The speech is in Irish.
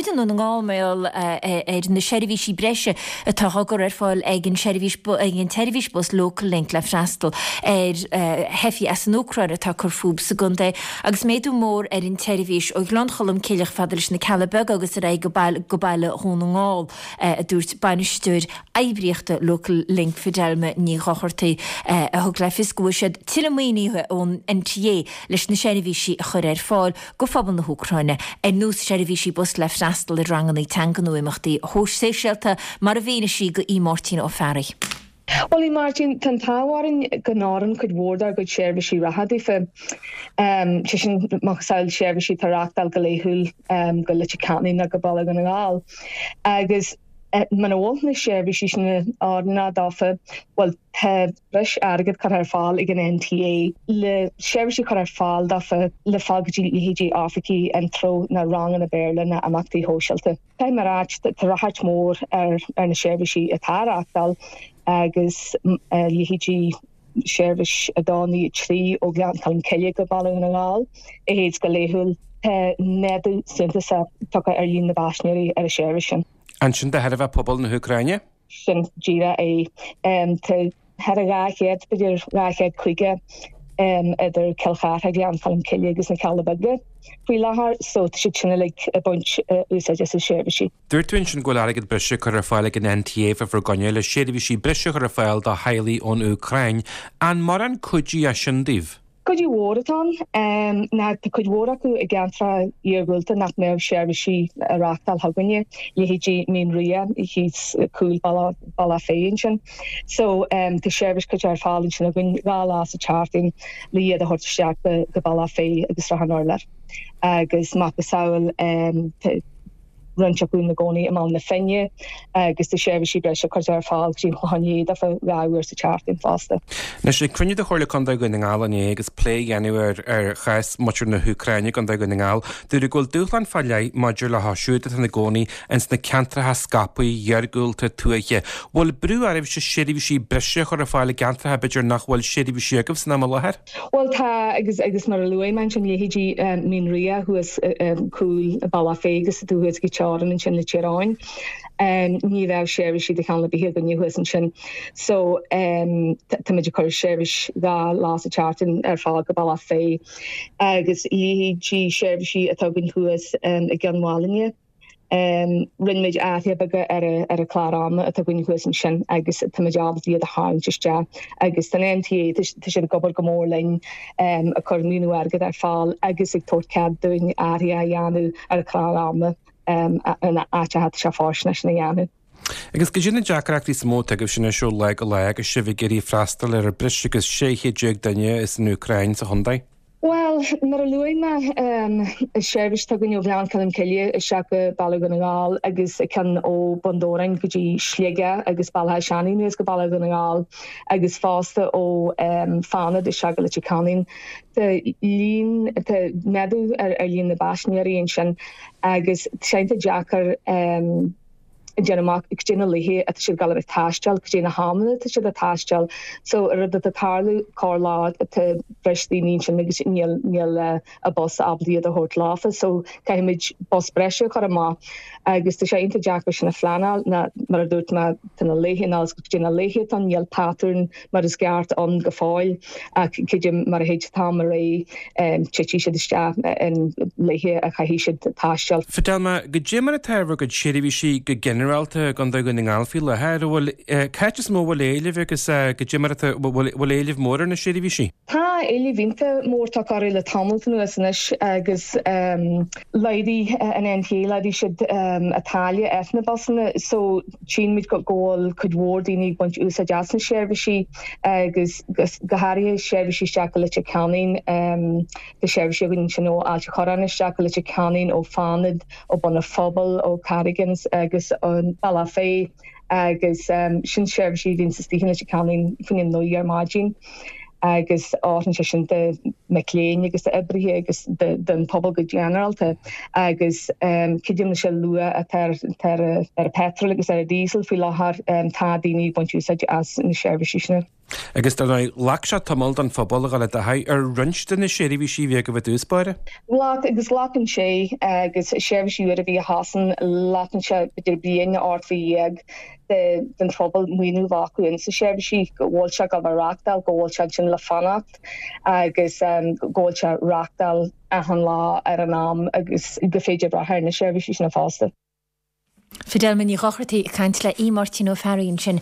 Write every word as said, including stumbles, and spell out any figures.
muid i nDún na nGall mar gheall ar na seirbhísí breise atá á gcur ar fáil ag an seirbhís ag an tseirbhís bus Local Link le freastal ar theifigh as an Úcráin atá ag cur fúthu sa gcontae agus méadú mór ar an tseirbhís ó Ghleann Cholm Cille chomh fada leis na Cealla Beaga agus ar aghaidh go baile Dhún na nGall, a dúirt bainisteoir oibríochta Local Link Fidelma Ní Dhochartaigh a thug le fios go bhfuair siad tuilleadh maoinithe ón N T A leis na seirbhísí a chur ar fáil go phobal na hÚcráine, ar nós seirbhísí bus le freastal ar ranganna teanga nó imeachtaí sóisialta, mar a mhínigh sí do Mháirtín Ó Fearraigh. Well, a Mháirtín, tá an t-ádh orainn go n-oireann cuid mhór dár gcuid seirbhísí reatha daofa. Sé sin macasamhail seirbhísí atá á reáchtáil go laethúil go Leitir Ceanainn nó go Baile Dhún na nGall. Agus muna bhfuil na seirbhísí sin oiriúnach dófa, bhuel, tá breis airgead curtha ar fáil ag an N T A le seirbhísí cur ar fáil dófa le fáil go dtí leithéidí oifigí Intreo nó ranganna Béarla nó imeachtaí sóisialta. Tá mar áit tá ráchairt mór ar ar na seirbhísí atá á reáchtáil agus leithéidí seirbhís a dó nó trí ó Ghleann Cholm Cille go Baile na nGall a théid go laethúil, tá méadú suntasach tagtha ar líon na bpaisinéirí ar an seirbhís sin. Ansin de thairbhe pobal na hÚcráine? Sin díreach é. Tá thar a dhá chéad, b'fhéidir dhá chéad caoga, idir Cill Chartha, Gleann Cholm Cille agus na Cealla Beaga faoi láthair, so tá siad sin uilig ag baint úsáid as na seirbhísí. Dúirt tú ansin go bhfuil airgead breise curtha ar fáil ag an N T A fá bhur gcoinne le seirbhísí breise a chur ar fáil do theaghlaigh ón Úcráin. An mórán cuidiú é sin daoibh? Cuidiú mhór atá ann ná tá cuid mhór acu i gceantracha iargúlta nach mbeadh seirbhísí á reáchtáil chugainne, leithéidí Mín Ria thíos cúl Bealach Féich ansin. So tá seirbhís curtha ar fáil ansin againn dhá lá sa tseachtain le iad a thabhairt isteach go Bealach Féich agus Srath an Urláir agus macasamhail roinnt acu ina gcónaí i mBaile na Finne agus tá seirbhísí breise curtha ar fáil go dtí an Clochán Liath daofa dhá uair sa tseachtain fosta. Anois, ag cruinniú de Chomhairle Contae Dhún na nGall inné agus plé a dhéanamh ar ar chás muintir na hÚcráine i gContae Dhún na nGall, dúradh go bhfuil dúshlán fá leith maidir leo siúd atá ina gcónaí ins na ceantracha scaipthe iargúlta tuaithe. Bhfuil brú oraibhse seirbhísí breise a chur ar fáil i gceantracha b'fhéidir nach bhfuil seirbhísí agaibh san am i láthair? Bhuel tá, agus agus mar a luaigh mé ansin leithéidí Mín Ria thuas cúl Bealach Féich agus tú thuas go teorainn ansin le Tír Eoghain. Ní bheadh seirbhísí de chineál ar bith againne thuas ansin. So táimid ag cur seirbhís dhá lá sa tseachtain ar fáil go Bealach Féich agus leithéidí seirbhísí atá againn thuas i gCionn Mhálanna. Rinne muid athruithe beaga ar ar an chlár ama atá againn thuas ansin agus táimid ábalta iad a tharraingt isteach agus tá an N T A, tá siad ag obair go mór linn ag cur maoiniú airgead ar fáil agus ag tabhairt cead dúinn athruithe a dhéanamh ar an chlár ama in áiteacha atá sé fóirsteanach sin a dhéanamh. Agus goidé na deacrachtaí is mó atá agaibhse anois ó lá go lá agus sibh ag iarraidh freastal ar breis agus sé chéad déag duine as an Úcráin sa chontae? Bhuel, mar a luaigh mé, seirbhís atá againn ó Ghleann Cholm Cille isteach go Baile Dhún na nGall agus ceann ó Bun Dobhráin go dtí Sligeach agus Bealach Átha Seanaidh anuas go Baile Dhún na nGall agus fosta ó Fánad isteach go Leitir Ceanainn. Tá líon, tá méadú ar líon na bpaisinéirí ansin agus tá sé iontach deacair déanamh amach goidé na laethe atá siad ag dul a bheith ag taisteal, goidé na hamanna atá siad ag taisteal. So rud atá ag tarlú corr lá tá breis daoine ansin agus níl níl a bus ábalta iad a thabhairt leofa so caithfimid bus breise a chur amach agus tá sé iontach deacair sin a phleanáil ná mar a dúirt mé tá na laethe ná goidé na laethe atá níl patrún mar is ceart ann go fóill ach creidim mar a théid an t-am ar aghaidh titfidh siad isteach in laethe a chaithfidh siad taisteal. Fidelma, goidé mar atá ar bhur gcuid seirbhísí go ginearálta i gContae Dhún na nGall faoi láthair, an bhfuil cá háit is mó a bhfuil éileamh agus goidé mar atá bhfuil éileamh mór ar na seirbhísí? Tá éileamh iontach mór tagtha orthu le tamall anuas anois agus laghdaigh an N T A, laghdaigh siad an táille ar na busanna so tchíonn muid go bhfuil cuid mhór daoine ag baint úsáid as na seirbhísí agus go háirithe seirbhísí isteach go Leitir Ceanainn, tá seirbhísí againn ansin ó Ailt an Chorráin isteach go Leitir Ceanainn, ó Fánad, ó Bun an Phobail, ó Carrigans agus ón Bealach Féich agus sin seirbhísí a bhíonn istigh in Leitir Ceanainn faoina naoi ar maidin agus oireann sé sin do mic léinn agus d'oibrithe agus don phobal go ginearálta agus creidim leis an luach atá ar an petrol agus ar an diesel faoi láthair, tá daoine ag baint úsáid as na seirbhísí sin. Agus dar ndóigh, ghlac sé tamall don phobal a dhul i dtaithí ar roinnt de na seirbhísí a bhí agaibh i dtús báire. Ghlac agus glacann sé agus seirbhísí úra a bhí a thosaíonn, glacann sé b'fhéidir bliain nó ocht mhí dhéag den phobal muinín a bheith acu insa seirbhísí, go bhfuil sé ag gabháil a reachtáil, go bhfuil sé ansin le fanacht agus go bhfuil sé reachtáil achan lá ar an am agus go féidir brath ar na seirbhísí sin fosta. Fidelma Ní Dhochartaigh ag caint le Aodh Máirtín Ó Fearraigh ansin.